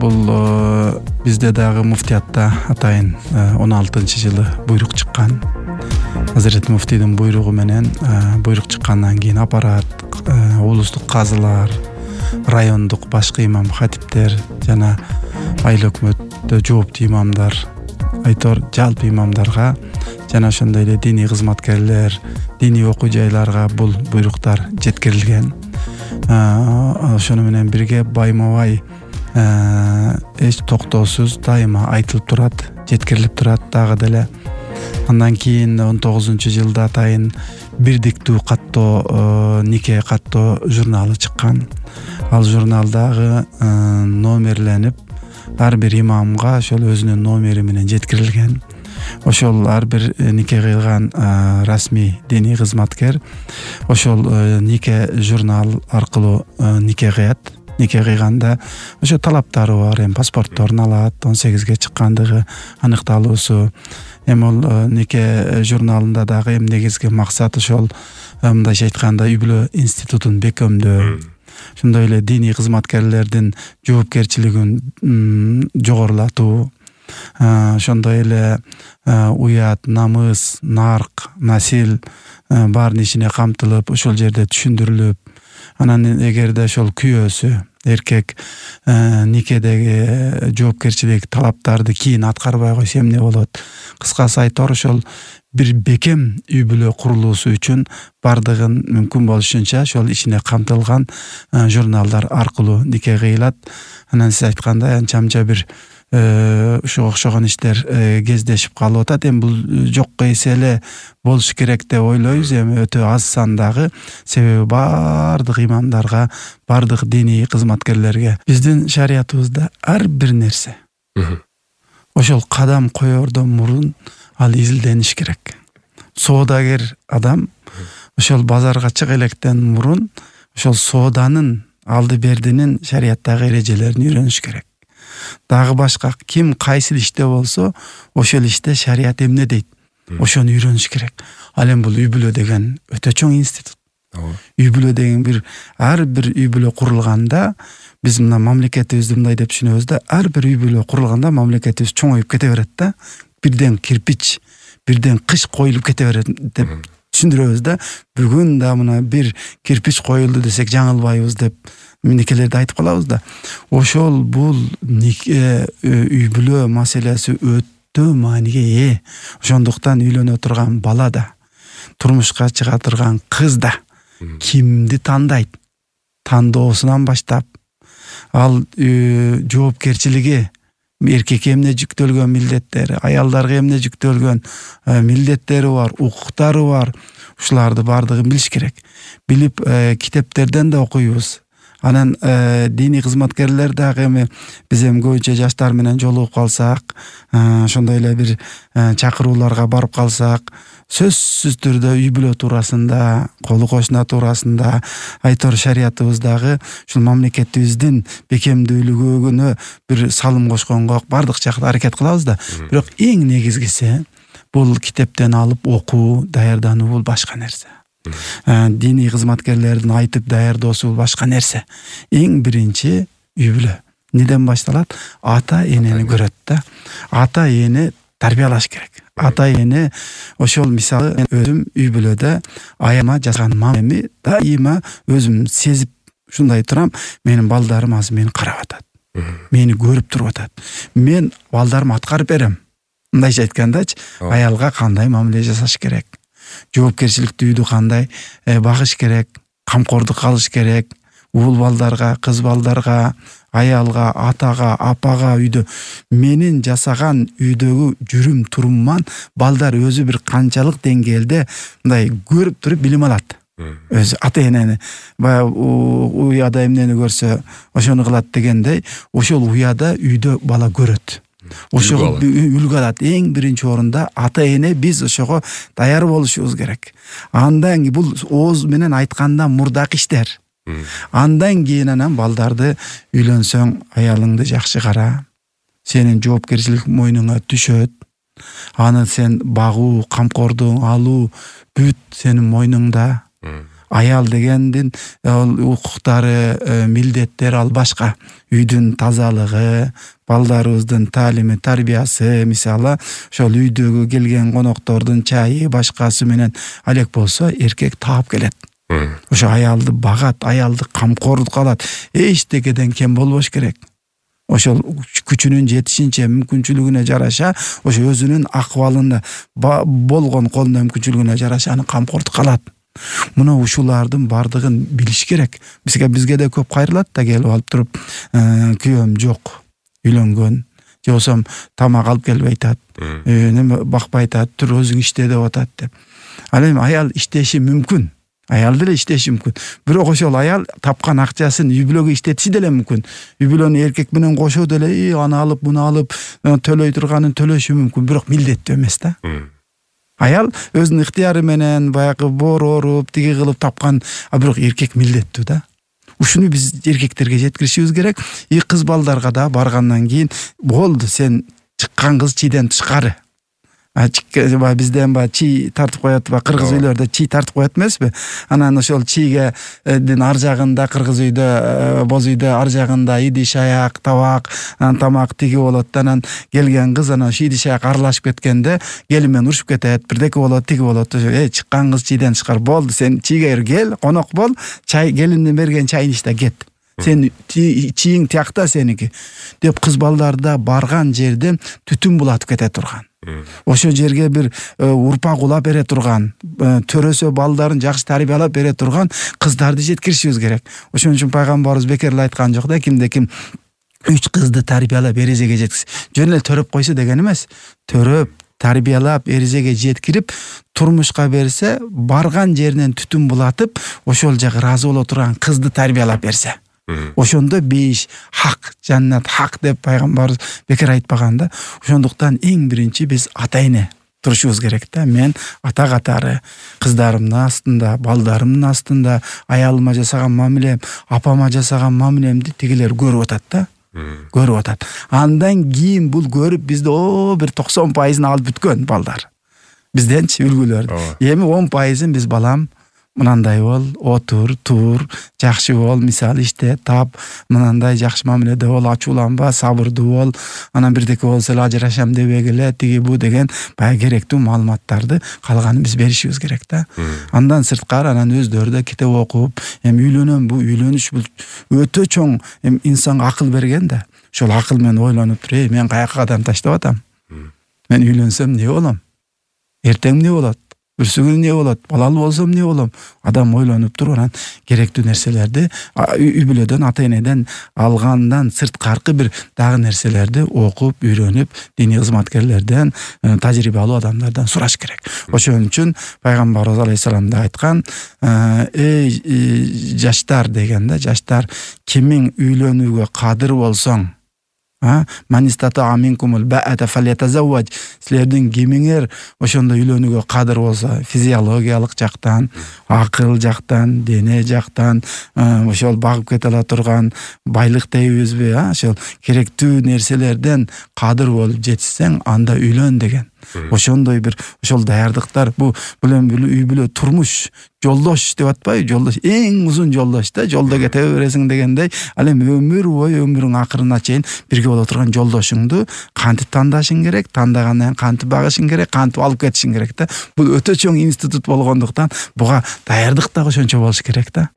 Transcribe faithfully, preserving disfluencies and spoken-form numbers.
бул бизде дагы муфтиятта атайын он алтынчы жылы буйрук чыккан. Азырет муфтийдин буйругу менен буйрук чыккандан кийин аппарат, облустук казылар, райондук башкы имам хатиптер жана айыл өкмөттө жооптуу имамдар, айтор жалпы имамдарга жана ошондой эле диний кызматкерлер, диний окуу жайларга бул буйруктар жеткирилген. Ошону менен бирге байма-бай эч токтоосуз дайыма айтылып турат, жеткирилип турат дагы деле. Андан кийин он тогузунчу жылда атайын бирдиктүү каттоо, нике каттоо журналы чыккан. Ал журналдагы номерленип ар бир имамга ошол өзүнүн номери менен жеткирилген. Ошол ар бир нике кыйлган расмий диний кызматкер ошол нике журнал аркылуу нике кыят. Нике кыйганда ошо талаптары бар, эми паспортторун алат, он сегизге чыккандыгы аныкталуусу. Эми ол нике журналында дагы эми негизги максат ошол мындайча айтканда үй-бүлө институтун бекемдөө. Ошондой эле диний кызматкерлердин жоопкерчилигин жогорулатуу. Ошондой эле уят, намыс, нарк, насил баардын ичине камтылып, ошол жерде түшүндүрүлүп, анан эгерде ошол күйөөсү эркек никедеги жоопкерчилик талаптарды кийин аткарбай койсо эмне болот? Кыскасы айтор ошол бир бекем үй-бүлө курулуусу үчүн бардыгын мүмкүн болушунча ошол ичине камтылган журналдар аркылуу нике кыйлат. Анан сиз айткандай анча-мынча бир ушуга окшогон иштер кездешип калып атат. Эми бул жокко эсе эле болуш керек деп ойлойбуз. Эми өтө аз сандагы, себеби баардык имамдарга, баардык диний кызматкерлерге биздин шариятыбызда ар бир нерсе ошол кадам коердон мурун ал изилдениш керек. Соодагер адам ошол базарга чыга электен мурун ошол сооданын алды бердинин шариаттагы эрежелерин үйрөнүш керек. Дагы башка ким кайсы иште болсо, ошол иште шарият эмне дейт, ошону үйрөнүш керек. Ал эми бул үй-бүлө деген өтө чоң институт. Үй-бүлө деген бир ар бир үй-бүлө курулганда биз мына мамлекетибизди мындай деп түшүнөбүз да, ар бир үй-бүлө курулганда мамлекетибиз чоңоюп кете берет да. Бирден кирпич, бирден кыш коюлуп кете берет деп түшүндүрөбүз да. Бүгүн да мына бир кирпич коюлду десек жаңылбайбыз деп никелерди айтып калабыз да. Ошол бул нике үй-бүлө маселеси өтө мааниге ээ. Ошондуктан үйлөнө турган бала да, турмушка чыга турган кыз да кимди тандайт? Тандоосунан баштап ал жоопкерчилиги, эркекке эмне жүктөлгөн милдеттери, аялдарга эмне жүктөлгөн милдеттери бар, укуктары бар. Ушуларды баардыгын билиш керек. Билип китептерден да окуйбуз. Анан диний кызматкерлер дагы эми биз эми көбүнчө жаштар менен жолугуп калсак, ошондой эле бир чакырууларга барып калсак, сөзсүз түрдө үй-бүлө туурасында, колу кошуна туурасында айтор шариятыбыздагы ушул мамлекетибиздин бекемдүүлүгүнө бир салым кошконго бардык жакта аракет кылабыз да. Бирок эң негизгиси бул китептен алып окуу, даярдануу бул башка нерсе. Диний кызматкерлердин айтып даярдоосу башка нерсе. Эң биринчи үй-бүлө неден башталат? Ата энени көрөт да. Ата эне тарбиялаш керек. Ата эне ошол мисалы өзүм үй-бүлөдө аяма жасаган мамеми дайыма өзүм сезип ушундай турам, менин балдарым азыр мени карап атат. Мени көрүп туруп атат. Мен балдарыма аткарып берем. Мындайча айткандачы, аялга кандай мамиле жасаш керек? Жоопкерчиликтүү үйдү кандай багыш керек, камкордук кылыш керек, уул балдарга, кыз балдарга, аялга, атага, апага үйдө. Менин жасаган үйдөгү жүрүм турумман балдар өзү бир канчалык деңгээлде мындай көрүп туруп билим алат. Өзү ата энени баягы уяда эмнени көрсө ошону кылат дегендей, ошол уяда үйдө бала көрөт. Ошого үлгү алат. Эң биринчи орунда ата эне биз ошого даяр болушубуз керек. Андан кийин бул ооз менен айтканда мурдакы иштер. Андан кийин анан балдарды үйлөнсөң аялыңды жакшы кара. Сенин жоопкерчилик мойнуңа түшөт. Аны сен багуу, камкордук алуу бүт сенин мойнуңда. Аял дегендин ал укуктары, милдеттери ал башка. Үйдүн тазалыгы, балдарыбыздын таалими, тарбиясы, мисалы, ошол үйдөгү келген коноктордун чайы, башкасы менен алек болсо, эркек таап келет. Ошо аялды багат, аялды камкордук кылат. Эчтекеден кем болбош керек. Ошол күчүнүн жетишинче, мүмкүнчүлүгүнө жараша, ошо өзүнүн акыбалында болгон колунда мүмкүнчүлүгүнө жараша аны камкордук кылат. Мына ушулардын бардыгын билиш керек. Бизге бизге да көп кайрылат да, келип алып туруп, күйөөм жок, үйлөнгөн, же болсом тамак алып келбей атат, неме бакпай атат, тур өзүң иште деп атат деп. Ал эми аял иштеши мүмкүн. Аял деле иштеши мүмкүн. Бирок ошол аял тапкан акчасын үй бүлөгө иштетиши деле мүмкүн. Үй бүлөнү эркек менен кошо деле аны алып, муну алып, төлөй турганын төлөшү мүмкүн, бирок милдеттүү эмес да. Аял өзүнүн ыктыяры менен баягы боор оруп, тиги кылып тапкан, а бирок эркек милдеттүү да. Ушуну биз эркектерге жеткиришибиз керек. И кыз балдарга да баргандан кийин болду, сен чыккан кыз чийден тышкары. А бизден ба чий тартып коет, ба кыргыз үйлөрдө чий тартып коет эмеспи? Анан ошол чийге ар жагында, кыргыз үйдө, боз үйдө ар жагында идиш аяк, табак, анан тамак тиги болот. Анан келген кыз анан ошо идиш аяк аралашып кеткенде кели менен урушуп кетет, бирдеке болот, тиги болот. Э, чыккан кыз чийден тышкары болду, сен чийге кел, конок бол, чай келиндин берген чайын ичте кет. Сен чийиң тиякта сеники деп кыз балдарда барган жерден түтүн булатып кете турган. Ошо жерге бир урпак улап бере турган, төрөсө балдарын жакшы тарбиялап бере турган кыздарды жеткиришибиз керек. Ошон үчүн пайгамбарыбыз бекер эле айткан жок да, кимде ким үч кызды тарбиялап эрезеге жеткиз. Жөн эле төрөп койсо деген эмес. Төрөп, тарбиялап, эрезеге жеткирип, турмушка берсе, барган жеринен түтүн булатып, ошол жагы ыраазы боло турган кызды тарбиялап берсе. Ошондо бейиш хак, жаннат хак деп пайгамбарыбыз бекер айтпаган да. Ошондуктан эң биринчи биз ата-эне турушубуз керек да. Мен ата катары кыздарымдын астында, балдарымдын астында аялыма жасаган мамилем, апама жасаган мамилемди тигилер көрүп атат да. Көрүп атат. Андан кийин бул көрүп бизде о бир токсон пайызын алып бүткөн балдар. Бизденчи үлгүлөр. Эми он пайызын биз балам мынандай бол, отур, тур, жакшы бол, мисалы иште тап, мынандай жакшы мамиледе бол, ачууланба, сабырдуу бол, анан бирдеке болсо эле ажырашам дебегиле, тиги бу деген бая керектүү маалыматтарды калганын биз беришибиз керек да. Андан сырткары анан өздөрү да китеп окуп, эми үйлөнөм, бу үйлөнүш бул өтө чоң эми инсанга акыл берген да. Ошол акыл менен ойлонуп туруп, эй, мен каяка кадам таштап атам? Мен үйлөнсөм эмне болом? Эртең эмне болот? Бүрсүгүн эмне болот? Балалуу болсом эмне болом? Адам ойлонуп туруп анан керектүү нерселерди үй бүлөдөн, ата-энеден алгандан сырткаркы бир дагы нерселерди окуп, үйрөнүп, диний кызматкерлерден, тажрыйбалуу адамдардан сураш керек. Ошон үчүн пайгамбарыбыз алейхисалам да айткан, эй жаштар деген да, жаштар, кимиң үйлөнүүгө кадыр болсоң, манистата аминкумул баата фалятазавваж, силердин кимиңер ошондо үйлөнүүгө кадыр болсо, физиологиялык жактан, акыл жактан, дене жактан, ошол багып кете ала турган байлык дейбизби, ошол керектүү нерселерден кадыр болуп жетишсең, анда үйлөн деген. Ошондой бир ошол даярдыктар, бу бул эми үй бүлө турмуш жолдош деп атпайбы? Жолдош эң узун жолдош да, жолдо кете бересиң дегендей, ал эми өмүр бою, өмүрүң акырына чейин бирге боло турган жолдошуңду кантип тандашың керек, тандагандан кийин кантип багышың керек, кантип алып кетишиң керек да. Бул өтө чоң институт болгондуктан буга даярдык да ошончо болуш керек да.